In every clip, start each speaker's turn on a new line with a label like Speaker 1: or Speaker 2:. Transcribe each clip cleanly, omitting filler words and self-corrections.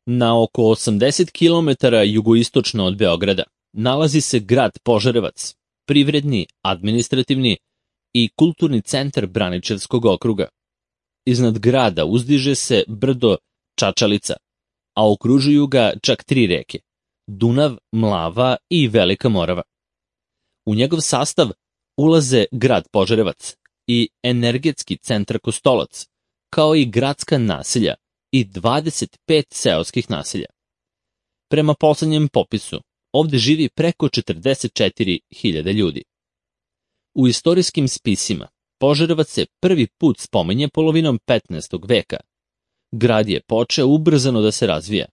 Speaker 1: Na oko 80 km jugoistočno od Beograda nalazi se grad Požarevac, privredni, administrativni i kulturni centar Braničevskog okruga. Iznad grada uzdiže se brdo Čačalica, a okružuju ga čak 3 reke: Dunav, Mlava i Velika Morava. U njegov sastav ulaze grad Požarevac i energetski centar Kostolac, kao i gradska naselja i 25 seoskih naselja. Prema poslednjem popisu, ovde živi preko 44.000 ljudi. U istorijskim spisima Požarevac se prvi put spominje polovinom 15. veka. Grad je počeo ubrzano da se razvija,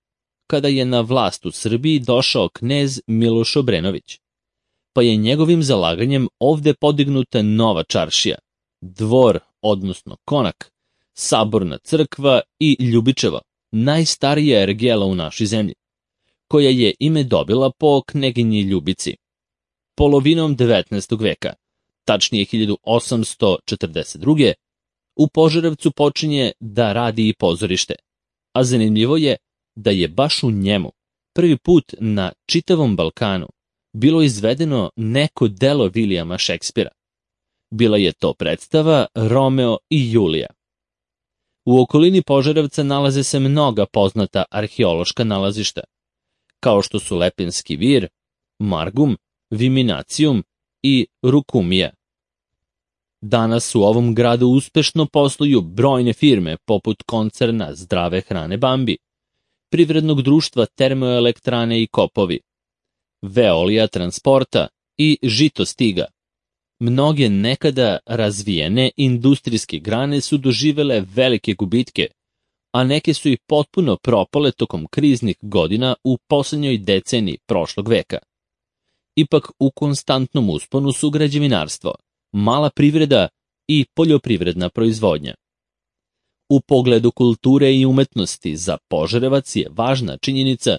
Speaker 1: kada je na vlast u Srbiji došao knez Miloš Obrenović, pa je njegovim zalaganjem ovde podignuta nova čaršija, dvor, odnosno konak, saborna crkva i Ljubičevo, najstarija ergela u našoj zemlji, koja je ime dobila po kneginji Ljubici. Polovinom 19. veka, tačnije 1842. u Požarevcu počinje da radi i pozorište, a zanimljivo je da je baš u njemu prvi put na čitavom Balkanu bilo izvedeno neko delo Vilijama Šekspira. Bila je to predstava Romeo i Julija. U okolini Požarevca nalaze se mnoga poznata arheološka nalazišta, kao što su Lepenski vir, Margum, Viminacijum i Rukumija. Danas u ovom gradu uspešno posluju brojne firme poput koncerna Zdrave hrane Bambi, privrednog društva Termoelektrane i Kopovi, Veolija transporta i Žitostiga. Mnoge nekada razvijene industrijske grane su doživele velike gubitke, a neke su i potpuno propale tokom kriznih godina u poslednjoj deceniji prošlog veka. Ipak u konstantnom usponu su građevinarstvo, mala privreda i poljoprivredna proizvodnja. U pogledu kulture i umetnosti za Požarevac je važna činjenica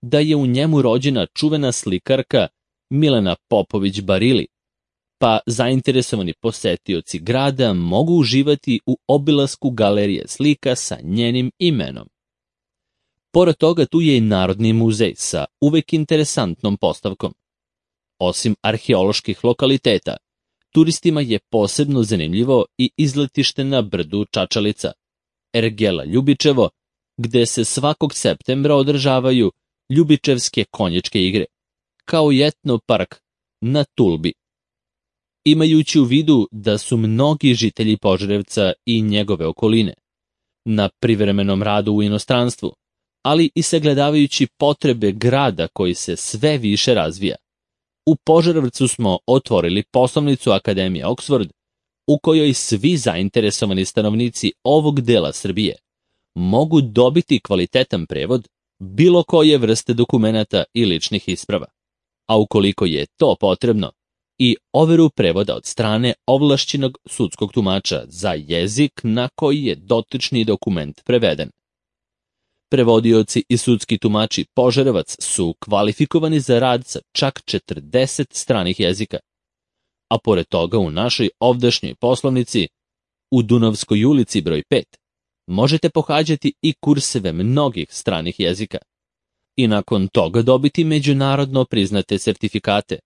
Speaker 1: da je u njemu rođena čuvena slikarka Milena Popović Barili, pa zainteresovani posetioci grada mogu uživati u obilasku galerije slika sa njenim imenom. Pored toga tu je i Narodni muzej sa uvek interesantnom postavkom. Osim arheoloških lokaliteta, turistima je posebno zanimljivo i izletište na brdu Čačalica, ergela Ljubičevo, gde se svakog septembra održavaju Ljubičevske konjičke igre, kao i etno park na Tulbi. Imajući u vidu da su mnogi žitelji Požarevca i njegove okoline na privremenom radu u inostranstvu, ali i sagledavajući potrebe grada koji se sve više razvija, u Požarevcu smo otvorili poslovnicu Akademije Oxford, u kojoj svi zainteresovani stanovnici ovog dela Srbije mogu dobiti kvalitetan prevod bilo koje vrste dokumenata i ličnih isprava, a ukoliko je to potrebno, i overu prevoda od strane ovlašćenog sudskog tumača za jezik na koji je dotični dokument preveden. Prevodioci i sudski tumači Požarevac su kvalifikovani za rad sa čak 40 stranih jezika, a pored toga u našoj ovdašnjoj poslovnici, u Dunavskoj ulici broj 5, možete pohađati i kurseve mnogih stranih jezika i nakon toga dobiti međunarodno priznate sertifikate,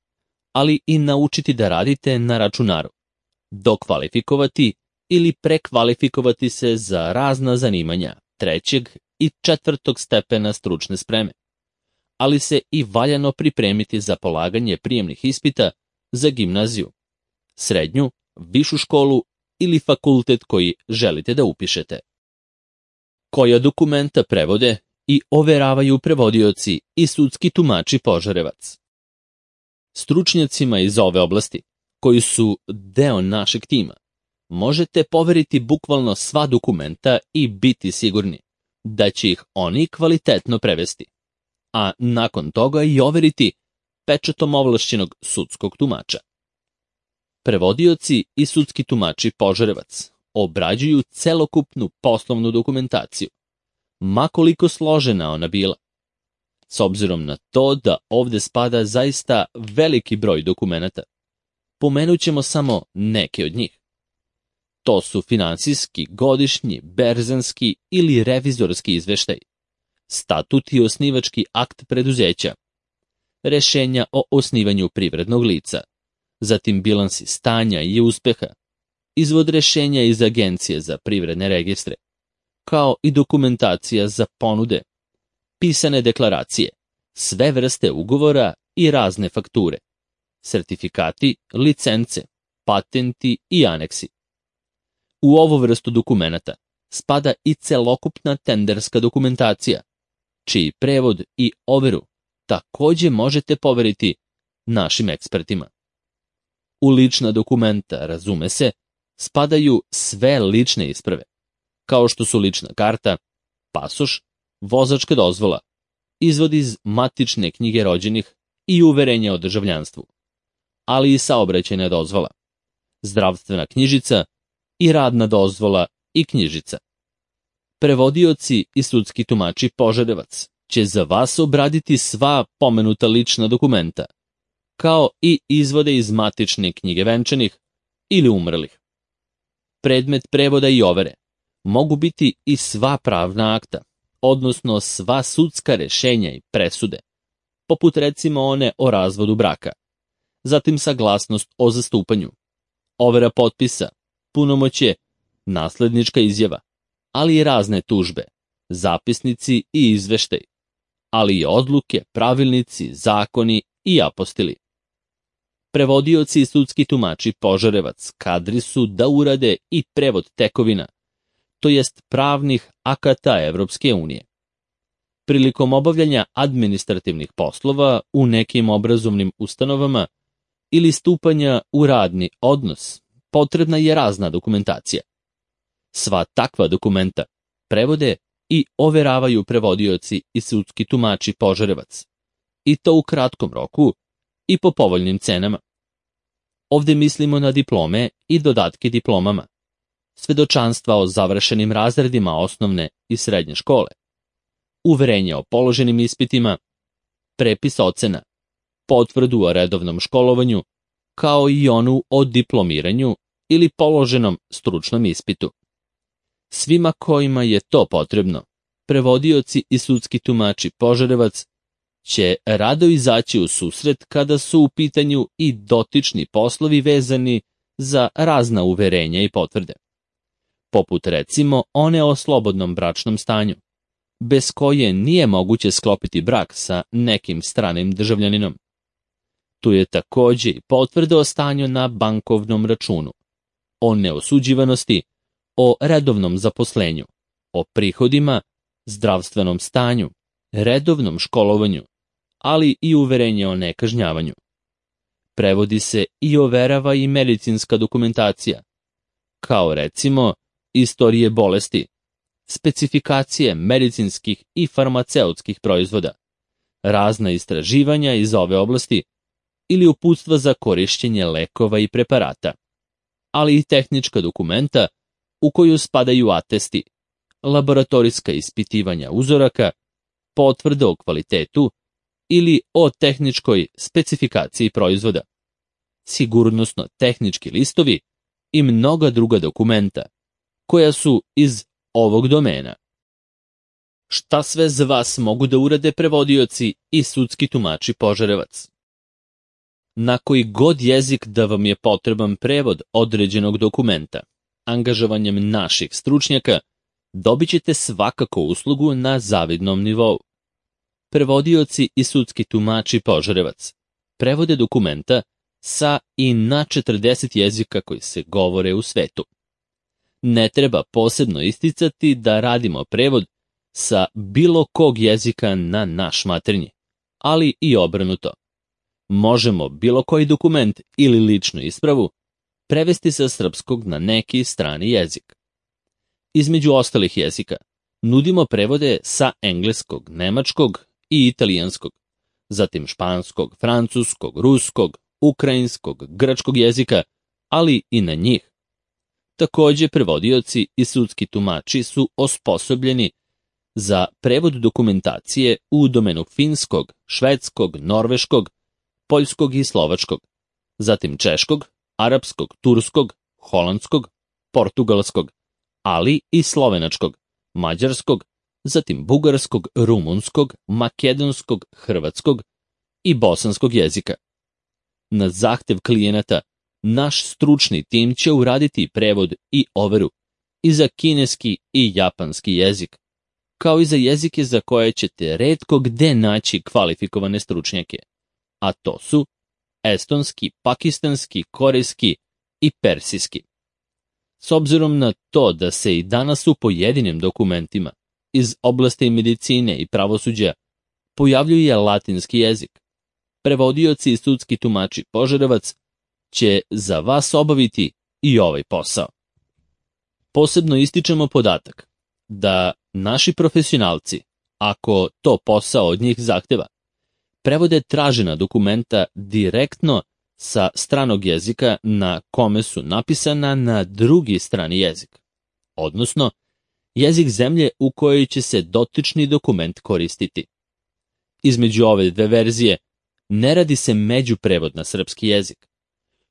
Speaker 1: ali i naučiti da radite na računaru, dokvalifikovati ili prekvalifikovati se za razna zanimanja 3. i 4. stepena stručne spreme, ali se i valjano pripremiti za polaganje prijemnih ispita za gimnaziju, srednju, višu školu ili fakultet koji želite da upišete. Koja dokumenta prevode i overavaju prevodioci i sudski tumači Požarevac. Stručnjacima iz ove oblasti, koji su deo našeg tima, možete poveriti bukvalno sva dokumenta i biti sigurni da će ih oni kvalitetno prevesti, a nakon toga i overiti pečatom ovlašćenog sudskog tumača. Prevodioci i sudski tumači Požarevac obrađuju celokupnu poslovnu dokumentaciju, ma koliko složena ona bila. S obzirom na to da ovde spada zaista veliki broj dokumenata, pomenut ćemo samo neke od njih. To su finansijski, godišnji, berzanski ili revizorski izveštaj, statut i osnivački akt preduzeća, rešenja o osnivanju privrednog lica, zatim bilansi stanja i uspeha, izvod rešenja iz Agencije za privredne registre, kao i dokumentacija za ponude, pisane deklaracije, sve vrste ugovora i razne fakture, sertifikati, licence, patenti i aneksi. U ovu vrstu dokumenata spada i celokupna tenderska dokumentacija, čiji prevod i overu takođe možete poveriti našim ekspertima. U lična dokumenta, razume se, spadaju sve lične isprave, kao što su lična karta, pasoš, vozačka dozvola, izvod iz matične knjige rođenih i uverenje o državljanstvu, ali i saobraćajna dozvola, zdravstvena knjižica i radna dozvola i knjižica. Prevodioci i sudski tumači Požarevac će za vas obraditi sva pomenuta lična dokumenta, kao i izvode iz matične knjige venčanih ili umrlih. Predmet prevoda i overe mogu biti i sva pravna akta, odnosno sva sudska rešenja i presude, poput recimo one o razvodu braka, zatim saglasnost o zastupanju, overa potpisa, punomoćje, naslednička izjava, ali i razne tužbe, zapisnici i izveštaj, ali i odluke, pravilnici, zakoni i apostili. Prevodioci i sudski tumači Požarevac kadri su da urade i prevod tekovina, to jest pravnih akata Evropske unije. Prilikom obavljanja administrativnih poslova u nekim obrazovnim ustanovama ili stupanja u radni odnos, potrebna je razna dokumentacija. Sva takva dokumenta prevode i overavaju prevodioci i sudski tumači Požarevac, i to u kratkom roku i po povoljnim cenama. Ovde mislimo na diplome i dodatke diplomama, svedočanstva o završenim razredima osnovne i srednje škole, uverenje o položenim ispitima, prepis ocena, potvrdu o redovnom školovanju, kao i onu o diplomiranju ili položenom stručnom ispitu. Svima kojima je to potrebno, prevodioci i sudski tumači Požarevac će rado izaći u susret kada su u pitanju i dotični poslovi vezani za razna uverenja i potvrde, poput recimo one o slobodnom bračnom stanju, bez koje nije moguće sklopiti brak sa nekim stranim državljaninom. Tu je takođe i potvrda o stanju na bankovnom računu, o neosuđivanosti, o redovnom zaposlenju, o prihodima, zdravstvenom stanju, redovnom školovanju, ali i uverenje o nekažnjavanju. Prevodi se i overava i medicinska dokumentacija, kao recimo istorije bolesti, specifikacije medicinskih i farmaceutskih proizvoda, razna istraživanja iz ove oblasti ili uputstva za korišćenje lekova i preparata, ali i tehnička dokumenta u koju spadaju atesti, laboratorijska ispitivanja uzoraka, potvrde o kvalitetu ili o tehničkoj specifikaciji proizvoda, sigurnosno-tehnički listovi i mnoga druga dokumenta koja su iz ovog domena. Šta sve za vas mogu da urade prevodioci i sudski tumači Požarevac? Na koji god jezik da vam je potreban prevod određenog dokumenta, angažovanjem naših stručnjaka, dobit ćete svakako uslugu na zavidnom nivou. Prevodioci i sudski tumači Požarevac prevode dokumenta sa i na 40 jezika koji se govore u svetu. Ne treba posebno isticati da radimo prevod sa bilo kog jezika na naš maternji, ali i obrnuto. Možemo bilo koji dokument ili ličnu ispravu prevesti sa srpskog na neki strani jezik. Između ostalih jezika nudimo prevode sa engleskog, nemačkog i italijanskog, zatim španskog, francuskog, ruskog, ukrajinskog, grčkog jezika, ali i na njih. Takođe, prevodioci i sudski tumači su osposobljeni za prevod dokumentacije u domenu finskog, švedskog, norveškog, poljskog i slovačkog, zatim češkog, arapskog, turskog, holandskog, portugalskog, ali i slovenačkog, mađarskog, zatim bugarskog, rumunskog, makedonskog, hrvatskog i bosanskog jezika. Na zahtev klijenata, naš stručni tim će uraditi prevod i overu i za kineski i japanski jezik, kao i za jezike za koje ćete retko gde naći kvalifikovane stručnjake, a to su estonski, pakistanski, korejski i persijski. S obzirom na to da se i danas u pojedinim dokumentima iz oblasti medicine i pravosuđa pojavljuje latinski jezik, prevodioci i sudski tumači Požarevac će za vas obaviti i ovaj posao. Posebno ističemo podatak da naši profesionalci, ako to posao od njih zahteva, prevode tražena dokumenta direktno sa stranog jezika na kome su napisana na drugi strani jezik, odnosno jezik zemlje u kojoj će se dotični dokument koristiti. Između ove dve verzije ne radi se međuprevod na srpski jezik,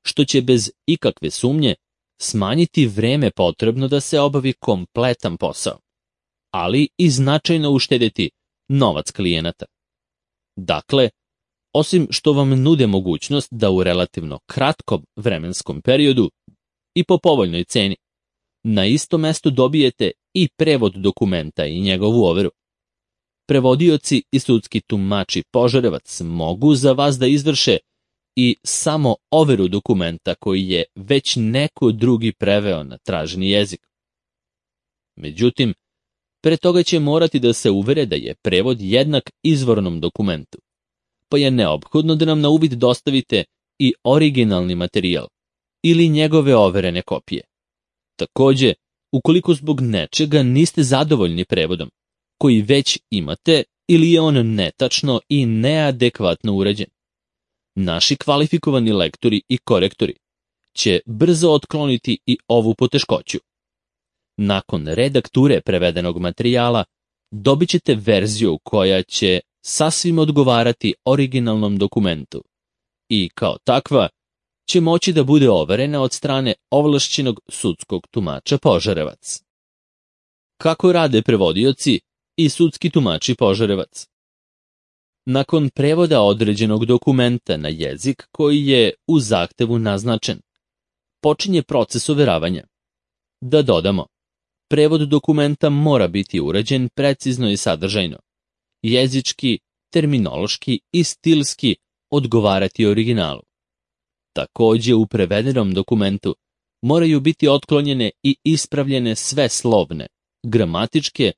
Speaker 1: što će bez ikakve sumnje smanjiti vreme potrebno da se obavi kompletan posao, ali i značajno uštedeti novac klijenata. Dakle, osim što vam nude mogućnost da u relativno kratkom vremenskom periodu i po povoljnoj ceni na isto mesto dobijete i prevod dokumenta i njegovu overu, prevodioci i sudski tumači Požarevac mogu za vas da izvrše i samo overu dokumenta koji je već neko drugi preveo na traženi jezik. Međutim, pre toga će morati da se uvere da je prevod jednak izvornom dokumentu, pa je neophodno da nam na uvid dostavite i originalni materijal ili njegove overene kopije. Takođe, ukoliko zbog nečega niste zadovoljni prevodom, koji već imate ili je on netačno i neadekvatno urađen, naši kvalifikovani lektori i korektori će brzo otkloniti i ovu poteškoću. Nakon redakture prevedenog materijala dobit ćete verziju koja će sasvim odgovarati originalnom dokumentu i kao takva će moći da bude overena od strane ovlašćenog sudskog tumača Požarevac. Kako rade prevodioci i sudski tumači Požarevac? Nakon prevoda određenog dokumenta na jezik koji je u zahtevu naznačen, počinje proces overavanja. Da dodamo, prevod dokumenta mora biti urađen precizno i sadržajno, jezički, terminološki i stilski odgovarati originalu. Takođe, u prevedenom dokumentu moraju biti otklonjene i ispravljene sve slovne, gramatičke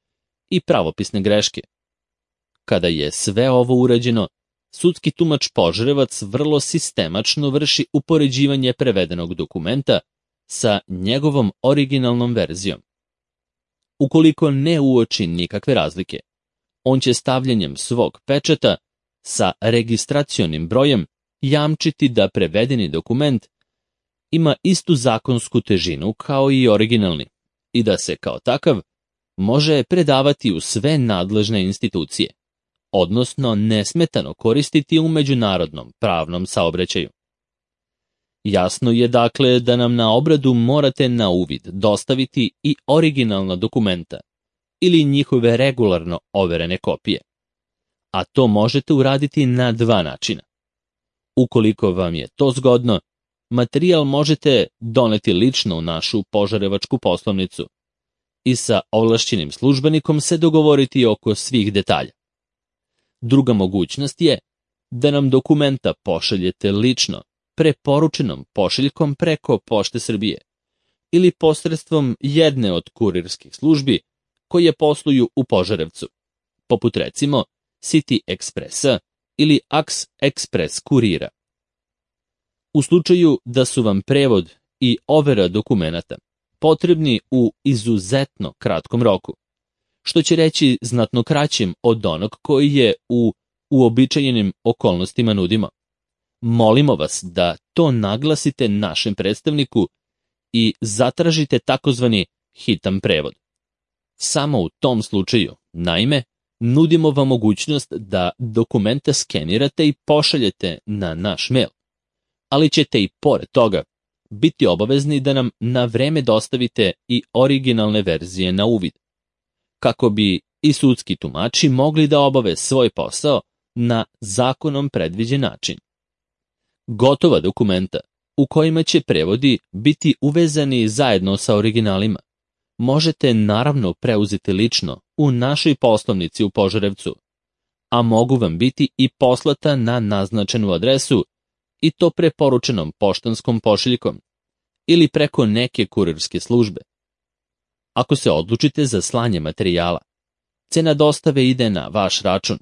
Speaker 1: i pravopisne greške. Kada je sve ovo urađeno, sudski tumač Požarevac vrlo sistemačno vrši upoređivanje prevedenog dokumenta sa njegovom originalnom verzijom. Ukoliko ne uoči nikakve razlike, on će stavljanjem svog pečata sa registracionim brojem jamčiti da prevedeni dokument ima istu zakonsku težinu kao i originalni i da se kao takav može predavati u sve nadležne institucije, odnosno nesmetano koristiti u međunarodnom pravnom saobraćaju. Jasno je dakle da nam na obradu morate na uvid dostaviti i originalna dokumenta ili njihove regularno overene kopije, a to možete uraditi na dva načina. Ukoliko vam je to zgodno, materijal možete doneti lično u našu požarevačku poslovnicu i sa ovlašćenim službenikom se dogovoriti oko svih detalja. Druga mogućnost je da nam dokumenta pošaljete lično, preporučenom pošiljkom preko Pošte Srbije ili posredstvom jedne od kurirskih službi koje posluju u Požarevcu, poput recimo City Expressa ili Ax Express kurira. U slučaju da su vam prevod i overa dokumenata potrebni u izuzetno kratkom roku, što će reći znatno kraćim od onog koji je u uobičajenim okolnostima nudimo, molimo vas da to naglasite našem predstavniku i zatražite takozvani hitan prevod. Samo u tom slučaju, naime, nudimo vam mogućnost da dokumenta skenirate i pošaljete na naš mail, ali ćete i pored toga biti obavezni da nam na vreme dostavite i originalne verzije na uvid, kako bi i sudski tumači mogli da obave svoj posao na zakonom predviđen način. Gotova dokumenta, u kojima će prevodi biti uvezani zajedno sa originalima, možete naravno preuzeti lično u našoj poslovnici u Požarevcu, a mogu vam biti i poslata na naznačenu adresu i to preporučenom poštanskom pošiljkom ili preko neke kurirske službe. Ako se odlučite za slanje materijala, cena dostave ide na vaš račun.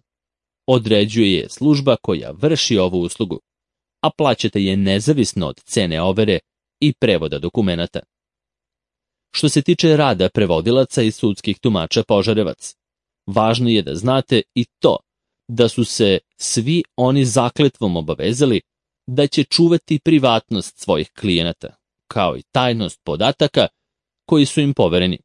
Speaker 1: Određuje je služba koja vrši ovu uslugu, a plaćate je nezavisno od cene overe i prevoda dokumenata. Što se tiče rada prevodilaca i sudskih tumača Požarevac, važno je da znate i to da su se svi oni zakletvom obavezali da će čuvati privatnost svojih klijenata, kao i tajnost podataka koji su im povereni.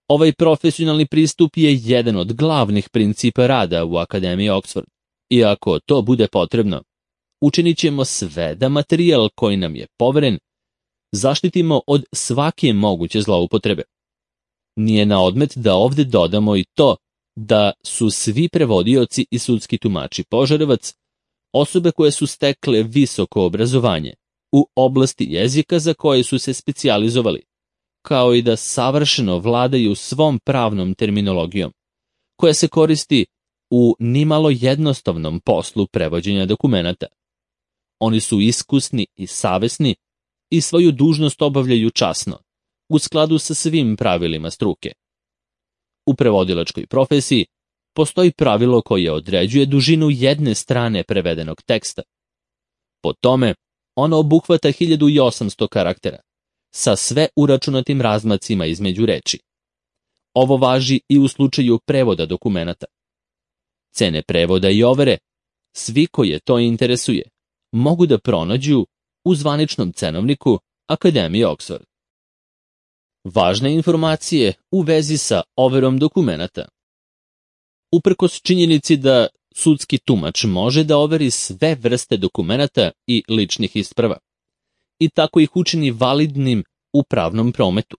Speaker 1: Ovaj profesionalni pristup je jedan od glavnih principa rada u Akademiji Oxford. I ako to bude potrebno, učinit ćemo sve da materijal koji nam je poveren zaštitimo od svake moguće zloupotrebe. Nije na odmet da ovde dodamo i to da su svi prevodioci i sudski tumači Požarevac osobe koje su stekle visoko obrazovanje u oblasti jezika za koje su se specijalizovali, kao i da savršeno vladaju svom pravnom terminologijom, koja se koristi u nimalo jednostavnom poslu prevođenja dokumenata. Oni su iskusni i savesni i svoju dužnost obavljaju časno, u skladu sa svim pravilima struke. U prevodilačkoj profesiji postoji pravilo koje određuje dužinu jedne strane prevedenog teksta. Po tome, ono obuhvata 1800 karaktera, sa sve uračunatim razmacima između reči. Ovo važi i u slučaju prevoda dokumenata. Cene prevoda i overe, svi koje to interesuje, mogu da pronađu u zvaničnom cenovniku Akademije Oxford. Važne informacije u vezi sa overom dokumenata. Uprkos činjenici da sudski tumač može da overi sve vrste dokumenata i ličnih isprava i tako ih učini validnim u pravnom prometu,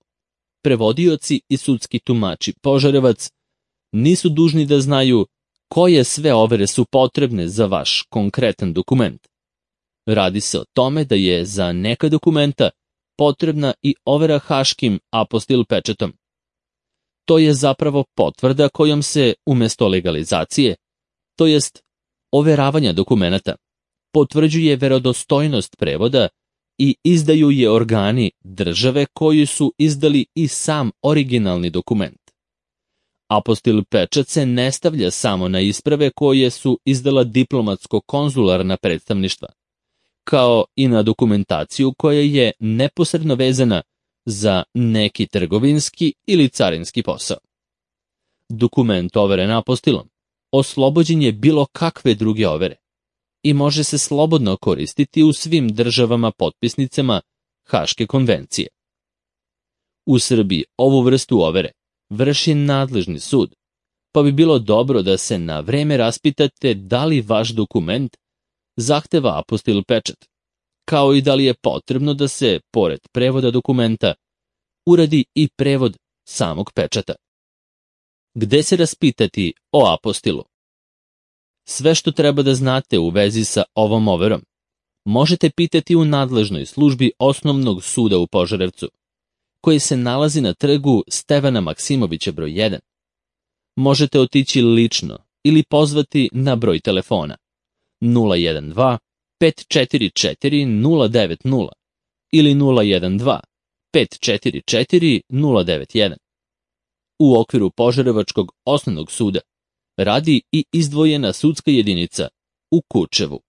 Speaker 1: prevodioci i sudski tumači Požarevac nisu dužni da znaju koje sve overe su potrebne za vaš konkretan dokument. Radi se o tome da je za neka dokumenta potrebna i overa haškim apostil pečatom. To je zapravo potvrda kojom se umesto legalizacije, to jest overavanja dokumenata, potvrđuje verodostojnost prevoda i izdaju je organi države koji su izdali i sam originalni dokument. Apostil pečat se ne stavlja samo na isprave koje su izdala diplomatsko-konzularna predstavništva, kao i na dokumentaciju koja je neposredno vezana za neki trgovinski ili carinski posao. Dokument overen apostilom oslobođen je bilo kakve druge overe i može se slobodno koristiti u svim državama potpisnicama Haške konvencije. U Srbiji ovu vrstu overe vrši nadležni sud, pa bi bilo dobro da se na vreme raspitate da li vaš dokument zahteva apostil pečat, kao i da li je potrebno da se, pored prevoda dokumenta, uradi i prevod samog pečata. Gde se raspitati o apostilu? Sve što treba da znate u vezi sa ovom overom možete pitati u nadležnoj službi Osnovnog suda u Požarevcu, koji se nalazi na trgu Stevana Maksimovića broj 1. Možete otići lično ili pozvati na broj telefona 012 544 090 ili 012 544 091. U okviru Požarevačkog osnovnog suda radi i izdvojena sudska jedinica u Kučevu.